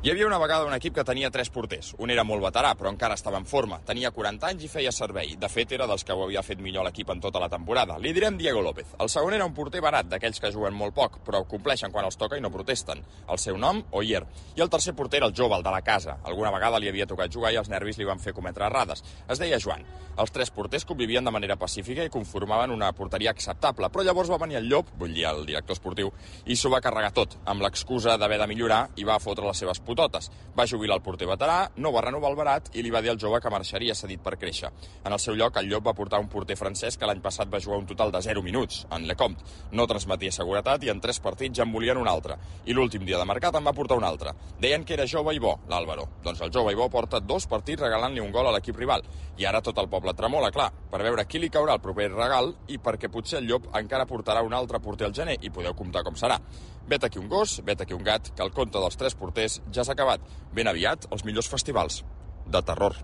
Hi havia una vegada un equip que tenia 3 porters. Un era molt veterà, però encara estava en forma. Tenia 40 anys i feia servei. De fet, era dels que ho havia fet millor l'equip en tota la temporada. Li direm Diego López. El segon era un porter barat, d'aquells que juguen molt poc, però compleixen quan els toca i no protesten. El seu nom, Oyer. I el tercer porter era el jove, el de la casa. Alguna vegada li havia tocat jugar i els nervis li van fer cometre errades. Es deia Joan. Els 3 porters convivien de manera pacífica i conformaven una porteria acceptable, però llavors va venir el Llop, vull dir el director esportiu, i s'ho va carregar tot, amb l'excusa d'haver de millorar i va fotre les seves putotes. Va jubilar el porter veterà, no va renovar el barat i li va dir al jove que marxaria cedit per créixer. En el seu lloc, el Llop va portar un porter francès que l'any passat va jugar un total de 0 minuts, en Lecomte. No transmetia seguretat i en 3 partits ja en volien un altre. I l'últim dia de mercat en va portar un altre. Deien que era jove i bo, l'Álvaro. Doncs el jove i bo porta 2 partits regalant-li un gol a l'equip rival. I ara tot el poble tremola, clar, per veure qui li caurà el proper regal i perquè potser el Llop encara portarà un altre porter al gener i podeu comptar com serà. Vet aquí un gos, vet aquí un gat, que el conte dels 3 porters ja s'ha acabat. Ben aviat, els millors festivals de terror.